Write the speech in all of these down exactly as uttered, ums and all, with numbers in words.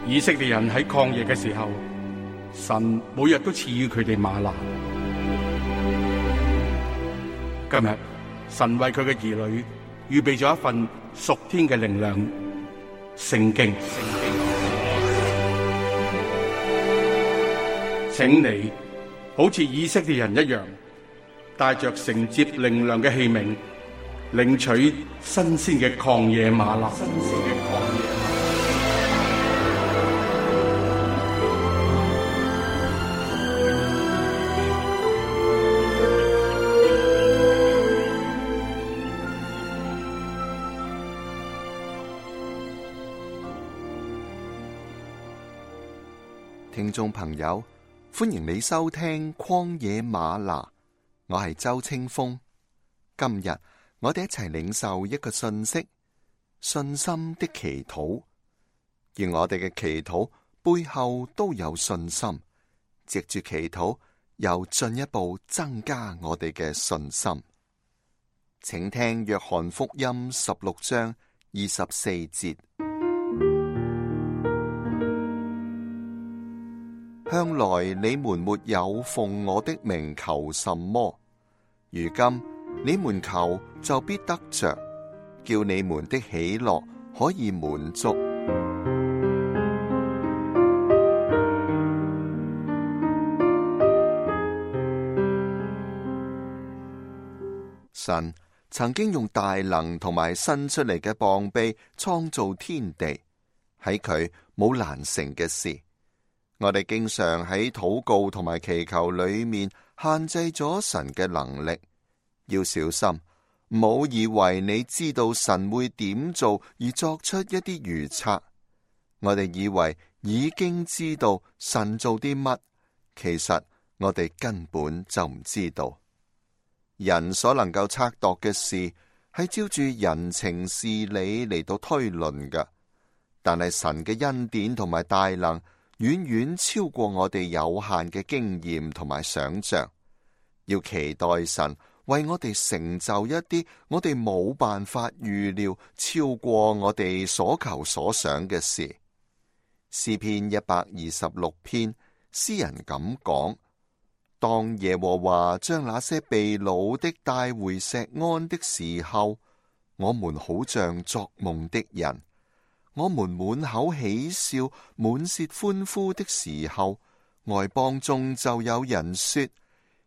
以色列人喺曠野嘅時候，神每日都賜予佢哋嗎哪。今日神為佢嘅兒女預備咗一份屬天嘅靈糧——聖經。請你好似以色列人一樣，帶着承接靈糧嘅器皿，領取新鮮嘅曠野嗎哪。聽眾朋友，歡迎你收聽曠野嗎哪，我係周清風。今日我哋一齊領受一個信息：信心的祈禱。而我哋嘅祈禱背後都有信心，藉住祈禱又進一步增加我哋嘅信心。請聽約翰福音十六章二十四節。向來你們沒有奉我的名求什麼，如今你們求就必得着，叫你們的喜樂可以滿足。神曾經用大能同埋伸出嚟嘅膀臂創造天地，喺佢冇難成嘅事。我哋經常喺禱告同埋祈求裏面限制咗神嘅能力，要小心，唔好以為你知道神會點做而作出一啲預測。我哋以為已經知道神做啲乜，其實我哋根本就唔知道。人所能夠測度嘅事係照住人情事理嚟到推論㗎，但係神嘅恩典同埋大能遠遠超過我哋有限嘅經驗同埋想象，要期待神為我哋成就一啲我哋冇辦法預料、超過我哋所求所想嘅事。詩篇一百二十六篇，詩人咁講：當耶和華將那些被擄的帶回錫安的時候，我們好像作夢的人。我們滿口喜笑、滿舌歡呼的時候，外邦中就有人說：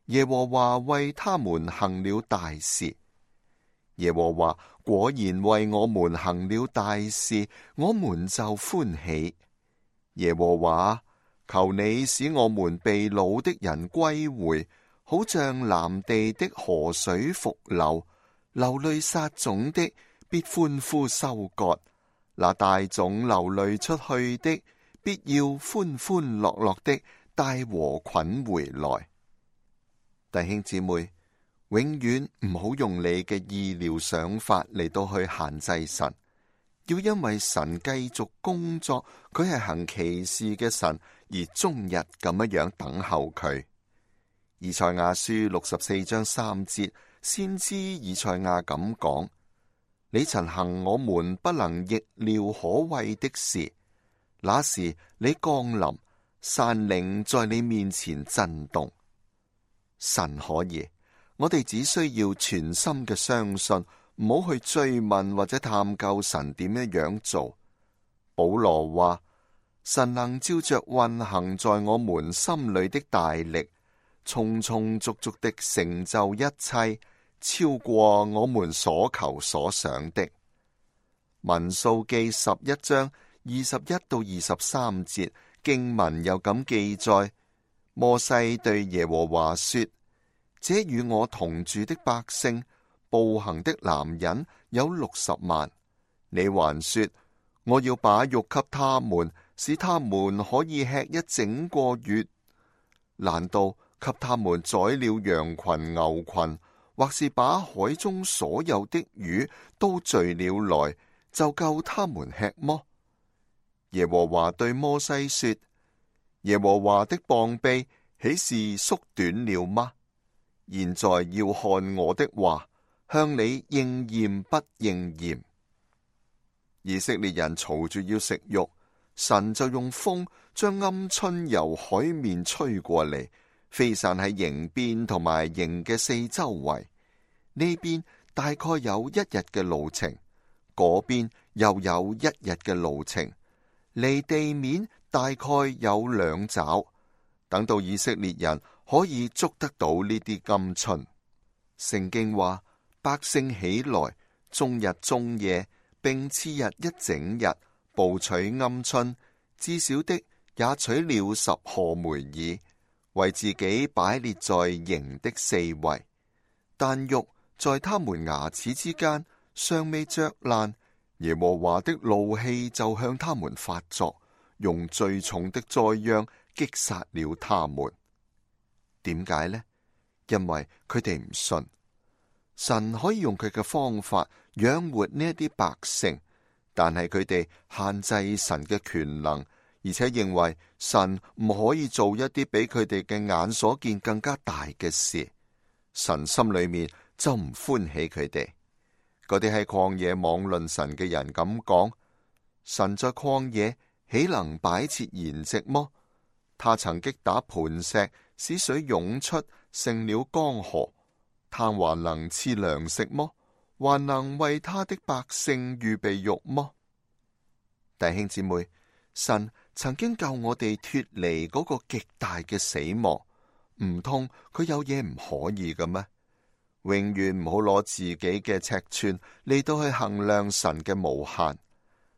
耶和華為他們行了大事。耶和華果然為我們行了大事，我們就歡喜。耶和華，求你使我們被擄的人歸回，好像南地的河水復流，流淚撒種的必歡呼收割。那帶種流淚出去的，必要歡歡樂樂的帶禾捆回來。弟兄姊妹，永遠唔好用你嘅意料想法嚟到去限制神，要因為神繼續工作，佢係行奇事嘅神，而終日咁樣樣等候佢。以賽亞書六十四章三節，先知以賽亞咁講：你曾行我們不能逆料可畏的事，那時你降臨，山嶺在你面前震動。神可以，我哋只需要全心嘅相信，唔好去追問或者探究神點樣樣做。保羅話：神能照着運行在我們心裏的大力，充充足足的成就一切，超過我們所求所想的。民數記十一章二十一到二十三節經文又咁記載：摩西對耶和華說：這與我同住的百姓，步行的男人有六十萬。你還說我要把肉給他們，使他們可以吃一整個月？難道給他們宰了羊群牛群，或是把海中所有的魚都聚了來，就夠他們吃麼？耶和華對摩西說：耶和華的膀臂豈是縮短了嗎？現在要看我的話，向你應驗不應驗。以色列人嘈住要食肉，神就用風將鵪鶉由海面吹過嚟，飛散喺營邊同埋營嘅四周圍。呢邊大概有一日嘅路程，嗰邊又有一日嘅路程，離地面大概有兩爪。等到以色列人可以捉得到呢啲鵪鶉。聖經話，百姓起來，終日終夜，並次日一整日，捕取鵪鶉，至少的也取了十賀梅爾，為自己擺列在營的四圍。但肉在他們牙齒之間尚未嚼爛，耶和華的怒氣就向他們發作，用最重的災殃擊殺了他們。點解呢？因為佢哋唔信神可以用佢嘅方法養活呢一啲百姓，但係佢哋限制神嘅權能，而且認為神唔可以做一啲比佢哋嘅眼所見更加大嘅事。神心裏面就唔歡喜佢哋。嗰啲喺曠野妄論神嘅人咁講：神在曠野豈能擺設筵席麼？他曾擊打磐石，使水湧出，成了江河。他還能賜糧食麼？還能為他的百姓預備肉麼？弟兄姊妹，神曾經救我哋脫離嗰個極大嘅死亡，唔通佢有嘢唔可以嘅咩？永遠唔好攞自己嘅尺寸嚟到去衡量神嘅無限。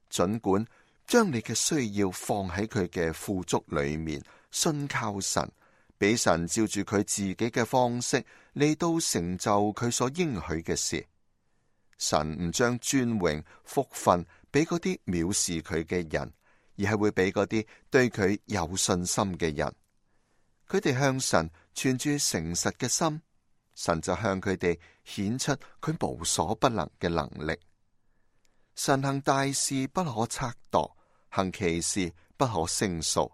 盡管將你嘅需要放喺佢嘅富足裏面，信靠神，俾神照住佢自己嘅方式嚟到成就佢所應許嘅事。神唔將尊榮福分俾嗰啲藐視佢嘅人，而係會俾嗰啲對佢有信心嘅人。佢哋向神存住誠實嘅心，神就向佢哋顯出佢無所不能嘅能力。神行大事不可測度，行奇事不可勝數。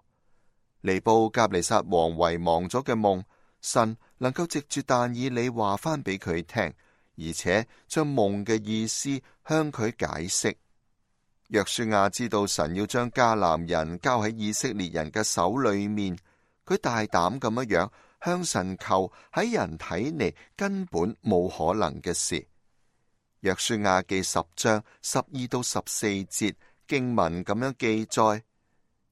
尼布甲尼撒王遺忘咗嘅夢，神能夠藉住但以理話翻俾佢聽，而且將夢嘅意思向佢解釋。約書亞知道神要將迦南人交喺以色列人嘅手裏面，佢大膽咁樣向神求喺人睇嚟根本冇可能嘅事。約書亞記十章十二到十四節經文咁樣記載：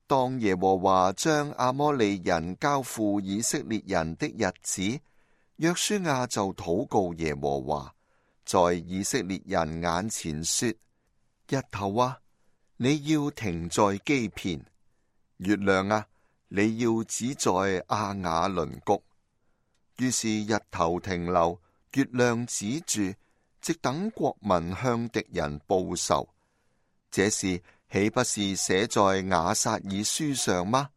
當耶和華將亞摩利人交付以色列人的日子，約書亞就禱告耶和華，在以色列人眼前說：日頭啊，你要停在基遍；月亮啊，你要止在亞雅倫谷。於是日頭停留，月亮止住，直等國民向敵人報仇。這事豈不是寫在雅撒爾書上嗎？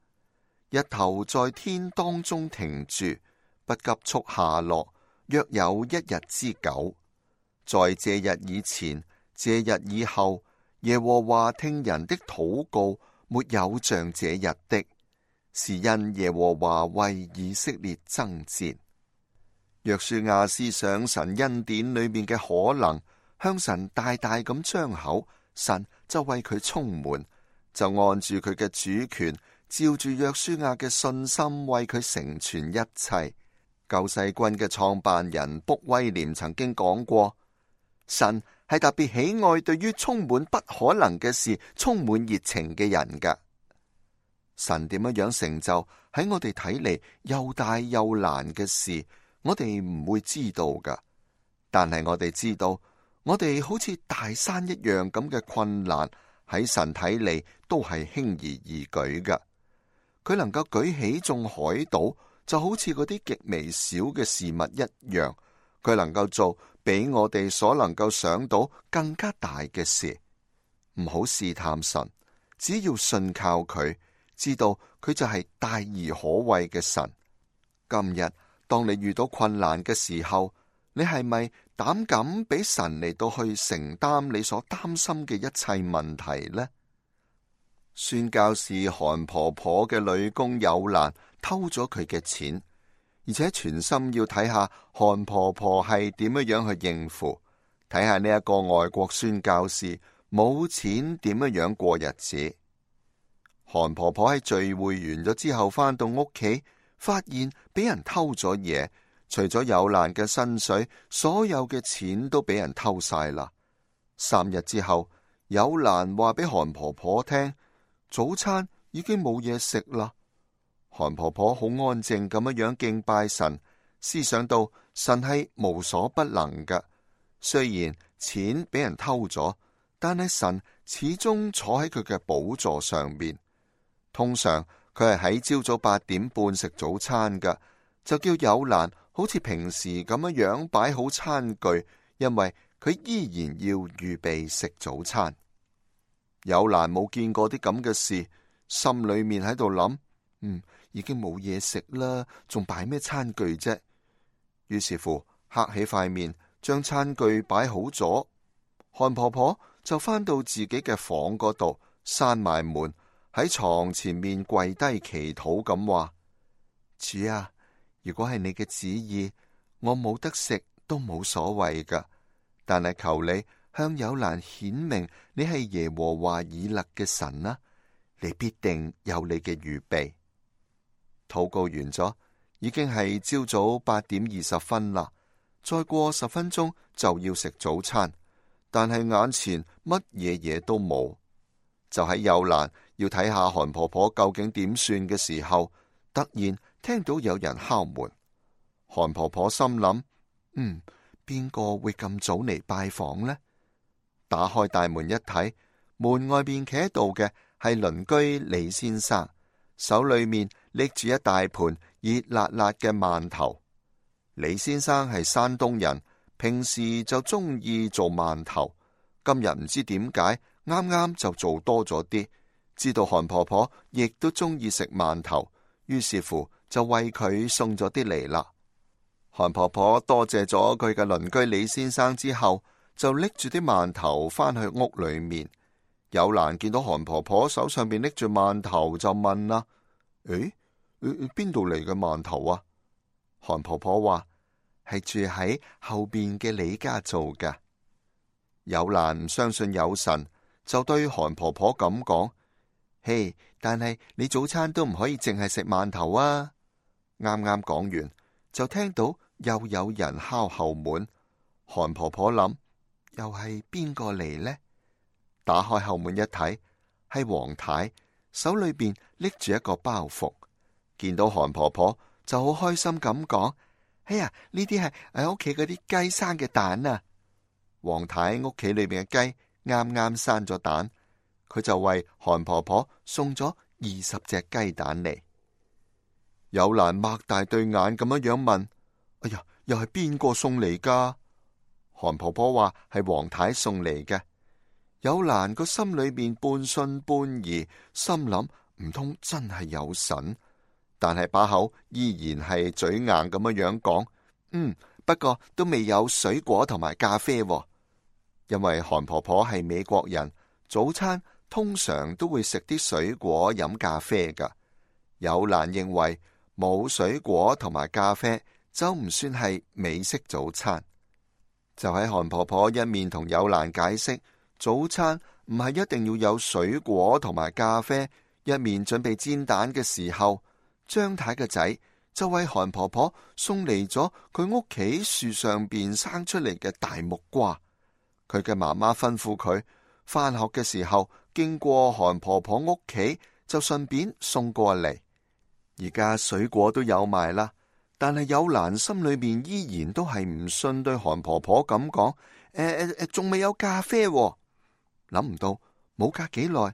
日頭在天當中停住，不急速下落，約有一日之久。在這日以前，這日以後，耶和華聽人的禱告，沒有像這日的，是因耶和華為以色列爭戰。約書亞思想神恩典裏面嘅可能，向神大大咁張口，神就為佢充滿，就按住佢嘅主權，照住約書亞嘅信心，為佢成全一切。救世軍嘅創辦人卜威廉曾經講過，神係特別喜愛對於充滿不可能嘅事充滿熱情嘅人噶。神點樣樣成就喺我哋睇嚟又大又難嘅事，我哋唔會知道噶。但係我哋知道，我哋好似大山一樣咁嘅困難，喺神睇嚟都係輕而易舉噶。佢能夠舉起眾海島，就好似嗰啲極微小嘅事物一樣。佢能夠做比我哋所能夠想到更加大嘅事。唔好試探神，只要信靠佢，知道佢就係大而可畏嘅神。今日當你遇到困難嘅時候，你係咪膽敢俾神嚟到去承擔你所擔心嘅一切問題呢？宣教士韓婆婆嘅女工有蘭偷咗佢嘅錢，而且全心要睇下韓婆婆係點樣樣去應付，睇下呢一個外國宣教士冇錢點樣樣過日子。韓婆婆喺聚會完咗之後返到屋企，發現俾人偷咗嘢，除咗有蘭嘅薪水，所有嘅錢都俾人偷晒啦。三日之後，有蘭話俾韓婆婆聽，早餐已經冇嘢食啦。韓婆婆好安靜咁樣樣敬拜神，思想到神係無所不能㗎。雖然錢俾人偷咗，但係神始終坐喺佢嘅寶座上面。通常佢係喺朝早八點半食早餐㗎，就叫有蘭好似平時咁樣樣擺好餐具，因為佢依然要預備食早餐。有蘭冇見過啲咁嘅事，心裏面喺度諗，嗯，已經冇嘢食啦，仲擺咩餐具啫？於是乎，黑起塊面，將餐具擺好咗。韓婆婆就返到自己嘅房嗰度，閂埋門，喺床前面跪低祈禱咁話：主啊，如果係你嘅旨意，我冇得食都冇所謂噶，但係求你向有蘭顯明你係耶和華以勒嘅神啦，你必定有你嘅預備。禱告完咗，已經係朝早八點二十分啦，再過十分鐘就要食早餐，但係眼前乜嘢嘢都冇。就喺有蘭要睇下韓婆婆究竟點算嘅時候，突然聽到有人敲門。韓婆婆心諗，嗯，邊個會咁早嚟拜訪呢？打開大門一睇，門外邊企喺度嘅係鄰居李先生，手裏面拎住一大盤熱辣辣嘅饅頭。李先生係山東人，平時就中意做饅頭，今日唔知點解啱啱就做多咗啲。知道韓婆婆亦都中意食饅頭，於是乎就為佢送咗啲嚟啦。韓婆婆多謝咗佢嘅鄰居李先生之後，就拎住啲饅頭返去屋裏面。有蘭見到韓婆婆手上邊拎住饅頭，就問啦：誒，邊度嚟嘅饅頭啊？韓婆婆話：係住喺後邊嘅李家做噶。有蘭唔相信有神，就對韓婆婆咁講：嘿，但係你早餐都唔可以淨係食饅頭啊！啱啱講完，就聽到又有人敲後門。韓婆婆諗，又係邊個嚟呢？打開後門一睇，係黃太，手裏邊拎住一個包袱。見到韓婆婆就好開心咁講：哎呀，呢啲係喺屋企嗰啲雞生嘅蛋啊！黃太屋企裏邊嘅雞啱啱生咗蛋，佢就為韓婆婆送咗二十隻雞蛋嚟。有蘭擘大對眼咁樣樣問：哎呀，又係邊個送嚟噶？韓婆婆話係黃太送嚟嘅。有蘭個心裏面半信半疑，心諗唔通真係有神，但係把口依然係嘴硬咁樣樣講：嗯，不過都未有水果同埋咖啡喎。因為韓婆婆係美國人，早餐通常都會食啲水果飲咖啡噶。有蘭認為冇水果同埋咖啡就唔算係美式早餐。就喺韓婆婆一面同有蘭解釋早餐唔係一定要有水果同埋咖啡，一面準備煎蛋嘅時候，張太嘅仔就為韓婆婆送嚟咗佢屋企樹上邊生出嚟嘅大木瓜。佢嘅媽媽吩咐佢返學嘅時候經過韓婆婆屋企，就順便送過嚟。而家水果都有埋啦，但係有蘭心裏面依然都係唔信，對韓婆婆咁講：誒誒誒，仲未有咖啡喎。諗唔到冇隔幾耐，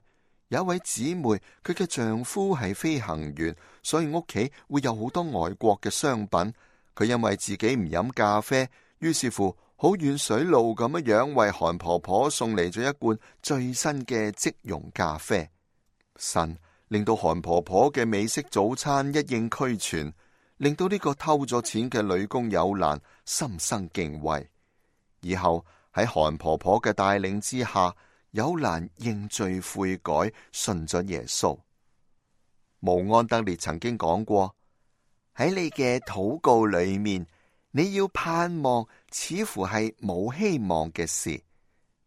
有一位姊妹，佢嘅丈夫係飛行員，所以屋企會有好多外國嘅商品。佢因為自己唔飲咖啡，於是乎好遠水路咁樣樣為韓婆婆送嚟咗一罐最新嘅即溶咖啡。神令到韓婆婆嘅美式早餐一應俱全，令到呢個偷咗錢嘅女工有蘭心生敬畏。以後喺韓婆婆嘅帶領之下，有蘭認罪悔改，信咗耶穌。慕安德烈曾經講過：喺你嘅禱告裏面，你要盼望似乎係冇希望嘅事。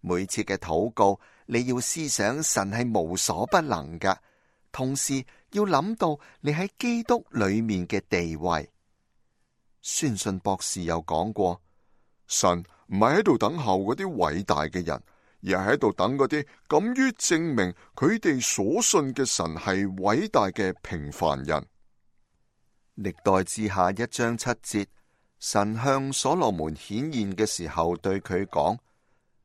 每次嘅禱告，你要思想神係無所不能噶，同時要諗到你喺基督裏面嘅地位。宣信博士又講過，神唔係喺度等候嗰啲偉大嘅人，而係喺度等嗰啲敢於證明佢哋所信嘅神係偉大嘅平凡人。歷代志下一章七節，神向所羅門顯現嘅時候對佢講，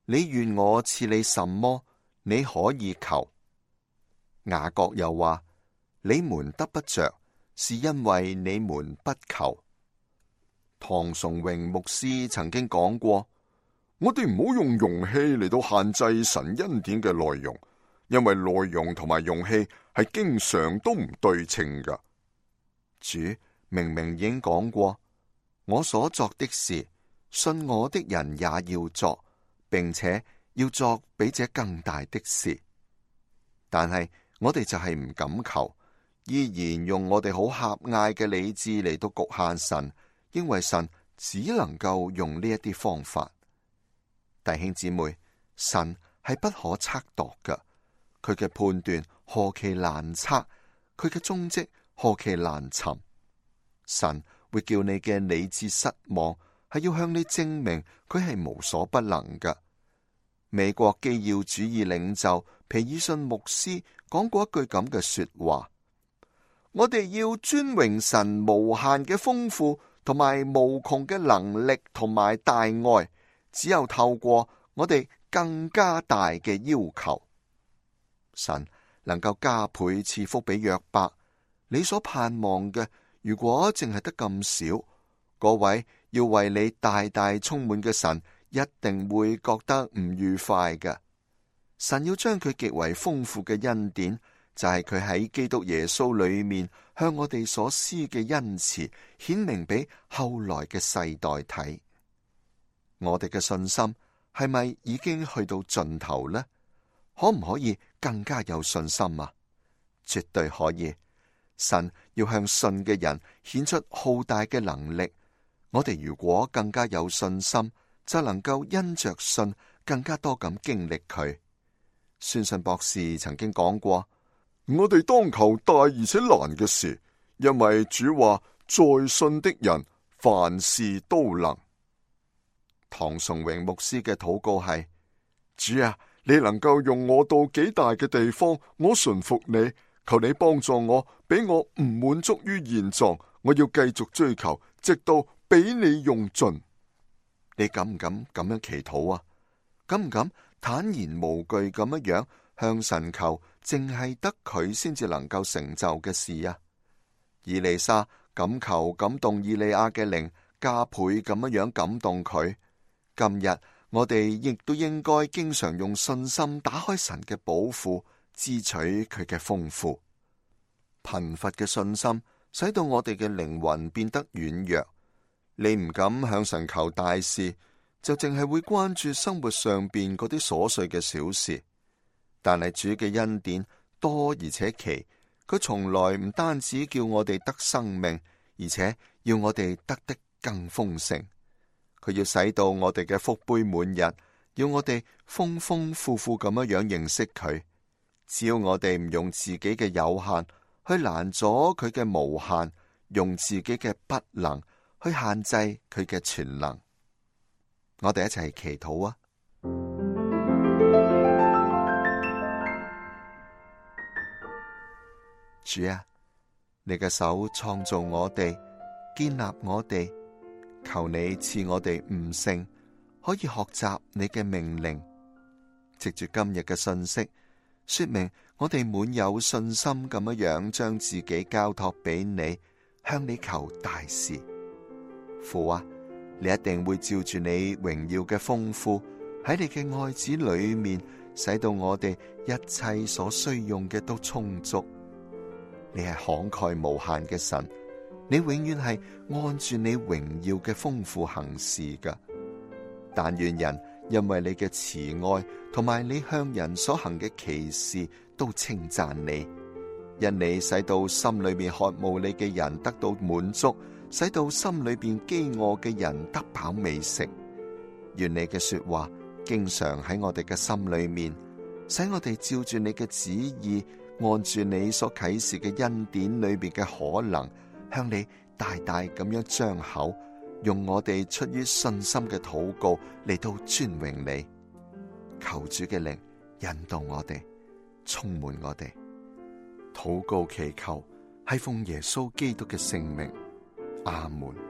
你願我賜你什麼，你可以求。雅各又話，你們得不着，是因為你們不求。唐崇榮牧師曾經講過，我哋唔好用容器嚟到限制神恩典嘅內容，因為內容同埋容器係經常都唔對稱噶。主明明已經講過，我所作的事，信我的人也要作，並且要作比這更大的事。但係我哋就係唔敢求，依然用我哋好狹隘嘅理智嚟到局限神，因為神只能夠用呢一啲方法。弟兄姊妹，神係不可測度嘅，佢嘅判斷何其難測，佢嘅蹤跡何其難尋。神會叫你嘅理智失望，係要向你證明佢係無所不能嘅。美國基要主義領袖皮爾遜牧師講過一句咁嘅說話，我哋要尊榮神無限嘅豐富同埋無窮嘅能力同埋大愛，只有透過我哋更加大嘅要求，神能夠加倍賜福俾約伯。你所盼望嘅，如果淨係得咁少，嗰位要為你大大充滿嘅神一定會覺得唔愉快嘅。神要將佢極為豐富嘅恩典，就係佢喺基督耶穌裏面向我哋所施嘅恩慈，顯明俾後來嘅世代睇。我哋嘅信心係咪已經去到盡頭呢？可唔可以更加有信心啊？絕對可以。神要向信嘅人顯出浩大嘅能力。我哋如果更加有信心，就能夠因着信更加多咁經歷佢。宣信博士曾經講過，我哋當求大而且難嘅事，因為主話在信的人凡事都能。唐崇榮牧師嘅禱告係，主啊，你能夠用我到幾大嘅地方，我順服你，求你幫助我，俾我唔滿足於現狀，我要繼續追求，直到俾你用盡。你敢唔敢咁樣祈禱啊？敢唔敢坦然無懼咁樣樣向神求，淨係得佢先至能夠成就嘅事啊？以利沙咁求感動以利亞嘅靈，加倍咁樣樣感動佢。今日我哋亦都應該經常用信心打開神嘅寶庫，支取佢嘅豐富。貧乏嘅信心使到我哋嘅靈魂變得軟弱。你唔敢向神求大事，就淨係會關注生活上邊嗰啲瑣碎嘅小事。但係主嘅恩典多而且奇，佢從來唔單止叫我哋得生命，而且要我哋得的更豐盛。佢要使到我哋嘅福杯滿溢，要我哋豐豐富富咁樣樣認識佢。只要我哋唔用自己嘅有限去攔阻佢嘅無限，用自己嘅不能去限制佢嘅全能。我哋一齊祈禱啊！主啊，你嘅手創造我哋，建立我哋，求你賜我哋悟性，可以學習你嘅命令。藉住今日嘅信息，說明我哋滿有信心咁樣樣將自己交託俾你，向你求大事。父啊，你一定會照住你榮耀嘅豐富，喺你嘅愛子裏面，使到我哋一切所需用嘅都充足。你係慷慨無限嘅神，你永遠係按住你榮耀嘅豐富行事㗎。但願人因為你嘅慈愛同埋你向人所行嘅奇事，都稱讚你，因你使到心裏面渴慕你嘅人得到滿足，使到心裏邊飢餓嘅人得飽美食。願你嘅說話經常喺我哋嘅心裏面，使我哋照住你嘅旨意按住你所啟示嘅恩典裏邊嘅可能，向你大大咁樣張口，用我哋出於信心嘅禱告嚟到尊榮你。求主嘅靈引導我哋，充滿我哋。禱告祈求係奉耶穌基督嘅聖名，阿門。